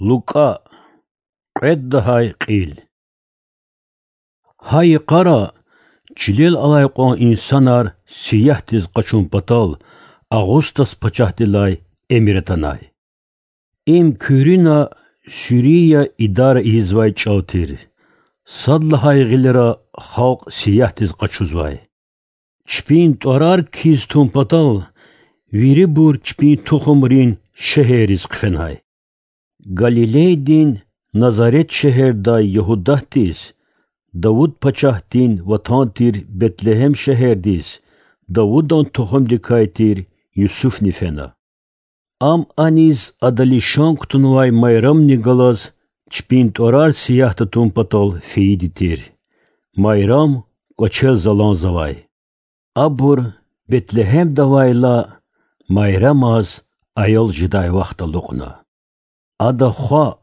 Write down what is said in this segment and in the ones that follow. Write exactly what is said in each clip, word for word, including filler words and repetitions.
Лукӏа, кьвед лагьай кьил. Гьа йикъара чилел алай кьван инсанар сиягьдиз къачун патал Агъустас пачагьдилай эмир атанай. Им куьруьна Сирия идара ийизвай чӏал тир. Сад лагьай гъилера халкь сиягьдиз къачузвай. Чпин тӏварар кхьиз тун патал вирибур чпин тухумрин шегьерриз хъфенай. Галилейдин Назарет шегьердай Ягьудатдиз, Давуд пачагьдин ватан тир Бетлегьем шегьердиз, Давудан тухумдикай тир Юсуфни фена. Ам аниз ада лишан кутунвай Майрамни галаз чпин тӏварар сиягьда тун патал фейиди тир. Майрам кӏвачел заланзавай. Абур Бетлегьемда авайла, Майрамаз аял жедай вахт алукьна. Ада хва,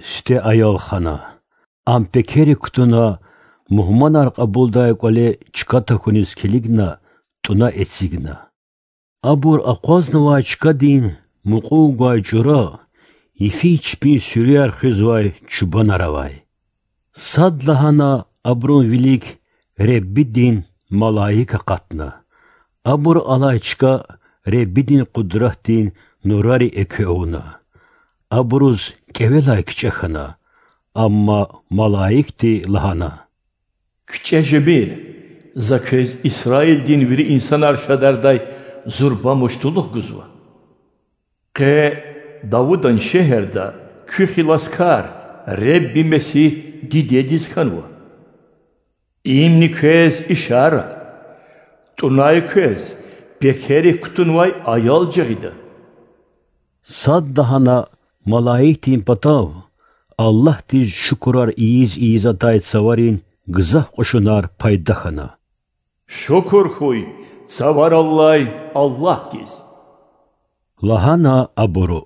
сифте аял хана. Ам пекерик кутуна, мугьманар кьабулдай кӏвале чка тахьуниз килигна, тӏуьна эцигна. Абур акъвазнавай чкадин мукьув гвай чӏура йифиз чпин суьруьяр хуьзвай чубанар авай. Садлагьана абурун вилик Реббидин малаик акъатна. Абур алай чка Реббидин къудратдин нурари экве авуна. Абуруз кӏевелай кичӏе хьана, амма малаикди лагьана: КичӀе жемир, за квез Исраилдин вири инсанар шадардай зурба муштулух гузва. Къе Давудан шегьерда куь хиласкар, Ребби Месигь дидедиз хьанва. Имни квез ишара: тӀунай квез пекерик кутунвай аял жагъида. Садлагьана малаикдин патав Аллагьдиз шукурар ийиз-ийиз атай цаварин гзаф кьушунар пайда хьана. Шукур хьуй цавараллай Аллагьдиз, лагьана абуру.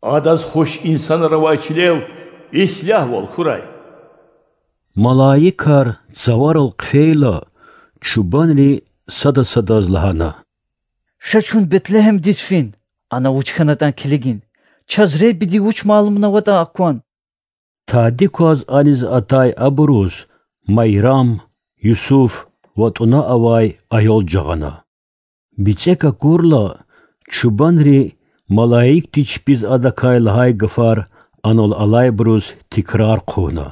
Адаз хуш инсанар авай чилел ислягьвал хьурай. Малаикар цаварал хъфейла, чубанри сада-садаз лагьана: Ша чун Бетлегьемдиз фин, ана вуч хьанатӀан килигин. Чаз Реббиди вуч малумнаватӀа акван. Тади кваз аниз атай абуруз Майрам, Юсуф ва тӀуна авай аял жагъана. БицӀек акурла, чубанри малаикди чпиз адакай лагьай гафар анал алайбуруз тикрар хъувуна.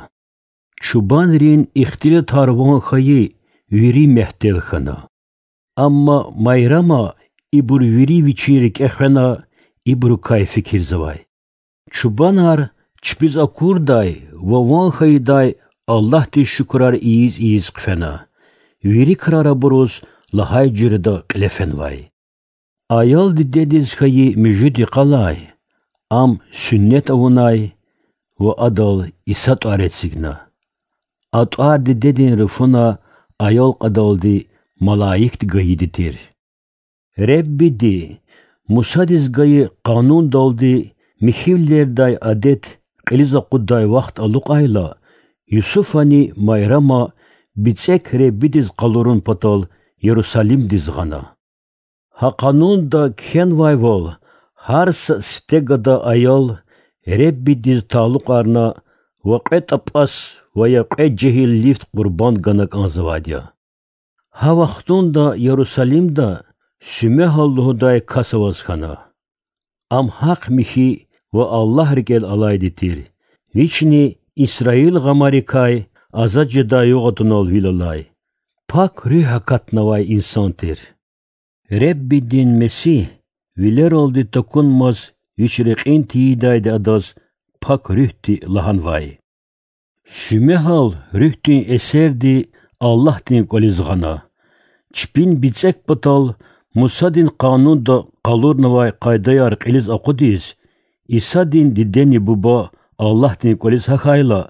Чубанрин ихтилатар ван хьайи вири мягьтел хьана. Амма Майрама ибур вири вичин рикӀе хвена, ибурукай фикирзавай. Чубанар чпиз акурдай ва ван хьайидай Аллагьдиз шукурар ийиз-ийиз хъфена. Вири крар абуруз лагьай жуьреда кьиле фенвай. Аял дидедиз хьайи муьжуьд йикъалай ам суннет авунай ва адал Иса тӀвар эцигна. А тӀвар дидедин руфуна аял кьадалди малаикди гайиди тир. Реббиди Мусадиз гайи Къанундалди михьивилердай адет кьилиз акъуддай вахт алукьайла, Юсуфани Майрама бицӀек Реббидиз къалурун патал Ярусалимдиз гъана. Гьа Къанунда кхьенвайвал, гьар са сифте гада аял Реббидиз талукьарна ва кьве тӀапӀас ва я кьве жегьил лифт къурбанд гана кӀанзавайди я. Гьа вахтунда Ярусалимда Сумегьал лугьудай кас аваз хьана. Ам гьахъ-михьи ва Аллагь рикӀел алайди тир. Вични Исраил гъамарикай азад жедай югъ атунал вил алай, Пак Руьгь акатнавай инсан тир. Реббидин Месигь вилералди такунмаз Вич рекьин тийидайди адаз Пак Руьгьди лагьанвай. Сумегьал Руьгьдин эсерди Аллагьдин кӀвализ гъана. Чпин бицӀек патал Мусадин Къанунда къалурнавай къайдаяр кьилиз акъудиз, Исадин дидени буба Аллагьдин кӀвализ гьахьайла,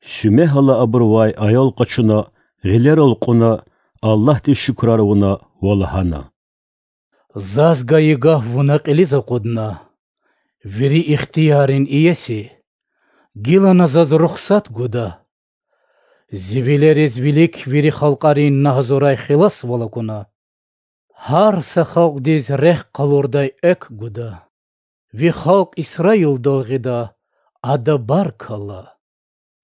Сумегьала абурувай аял къачуна, гъилерал кьуна, Аллагьдиз шукурар авуна ва лагьана: Заз гайи гаф Вуна кьилиз акъудна. Вири ихтияррин иеси, гила на Заз рухсат гуда. Зи вилериз вилик вири халкьарин на гьазурай хиласвал акуна. Гьар са халкьдиз рехъ къалурдай экв гуда. Ви халкь Исраилдал гъида, Ада баркалла.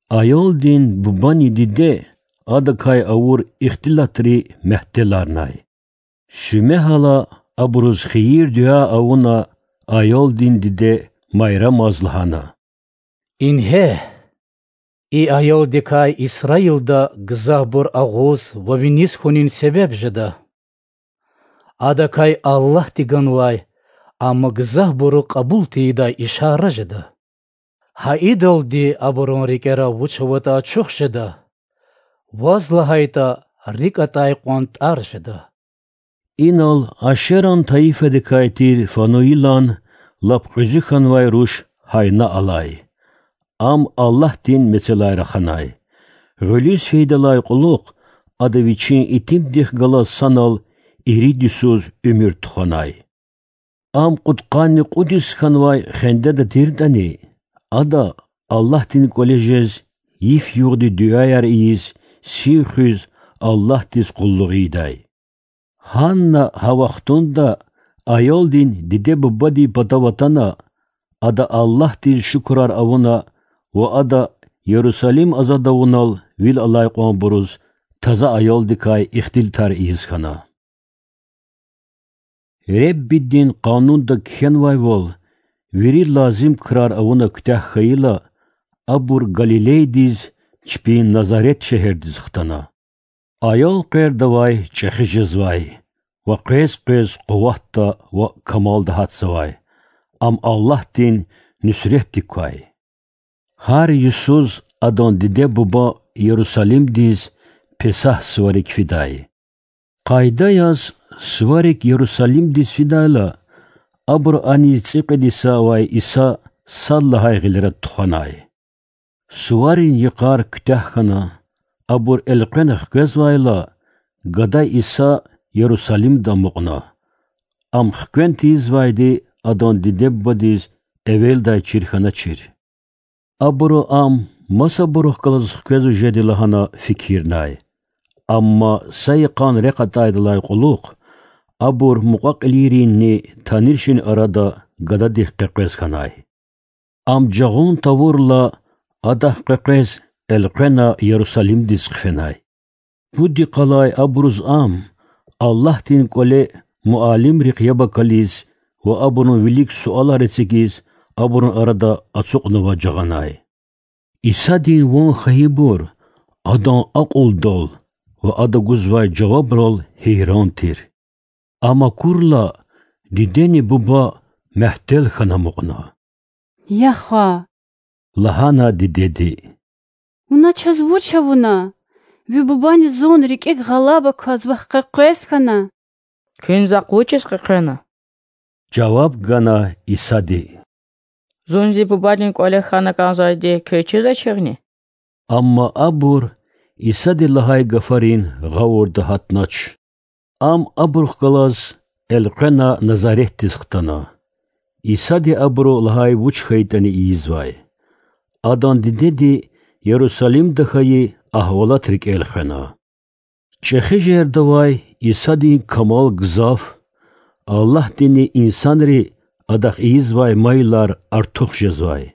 Аялдин бубани диде адакай авур ихтилатри мягьтеларнай. Сумягьла абуруз хийир-дуьа авуна, аялдин диде Майрамаз лагьана: Ингье, и аялдикай Исраилда гзафбур агъуз ва виниз хьунин себеб жеда. Адакай Аллагьди ганвай, амма гзафбуру кьабул тийидай ишара жеда. Гьа идалди абурун рикӀера вуч аватӀа ачух жеда, ваз лагьайтӀа, рикӀ атӀай кьван тӀар жеда. Инал Ашеран тайифадикай тир Фануилан лап кьуьзуь хьанвай руш гьайна алай. Ам Аллагьдин мецелай раханай. Гъуьлуьз фейидалай кьулухъ ада вичин итимдихъ галаз санал ирид йисуз уьмуьр тухванай. Ам кьудкъанни кьуд йис хьанвай хендеда тиртӀани, ада Аллагьдин кӀвале жез, йиф-югъди дуьаяр ийиз, сив хуьз, Аллагьдиз къуллугъ ийидай. Гьанна гьа вахтунда аялдин диде-бубадин патав атана, ада Аллагьдиз шукурар авуна ва ада Ярусалим азад авунал вил алай кьванбуруз таза аялдикай ихтилатар ийиз хьана. Реббидин Къанунда кхьенвайвал, вири лазим крар авуна куьтягь хьайила, абур Галилейдиз, чпин Назарет шегьердиз хтана. Аял къвердавай чӀехи жезвай ва къвез-къвез къуватда ва камалда гьатзавай, ам Аллагьдин нуьсретдик квай. Гьар йисуз адан диде-буба Ярусалимдиз Песагь суварик фидай. Къайда яз, суварик Ярусалимдиз фидайла, абуру аниз цӀикьвед йиса авай Иса сад лагьай гъилера тухванай. Суварин йикъар куьтягь хьана, абур элкъвена хквезвайла, гада Иса Ярусалимда амукьна. Ам хквен тийизвайди адан диде-бубадиз эвелдай чир хьаначир. Абуру ам масабурухъ галаз хквезва жеди лагьана фикирнай. Амма са йикъан рехъ атайдалай кьулухъ абур мукьва-кьилийринни таниршин арада гададихъ къекъвез хьанай. Ам жагъун тавурла, адахъ къекъвез элкъвена Ярусалимдиз хъфенай. Пуд йикъалай абуруз ам Аллагьдин кӀвале муаллимрихъ яб акализ ва абурун вилик суалар эцигиз, абурун арада ацукьнава жагъанай. Исадин ван хьайибур Адан акьулдал ва Ада гузвай жавабрал гьейран тир. Ам акурла, дидени буба мягьтел хьана амукьна. Я хва, лагьана дидеди, вуна чаз вуч авуна? Ви бубани зун рикӀик гъалаба кваз вахъ къекъвез хьана. Куьн захъ вучиз къекъвена? жаваб гана Исади. Зун зи бубадин кӀвале хьана кӀанзавайди квез чизвачирни? Амма абур Исади лагьай гафарин гъавурда гьатнач. Ам абурухъ галаз элкъвена Назаретдиз хтана. Исади абуру лагьай вуч хьайитӀани ийизвай. Адан дидеди Ярусалимда хьайи агьвалат рикӀел хвена. ЧӀехи жердавай Исадин камал гзаф, Аллагьдини инсанри Адахъ ийизвай майилар артух жезвай.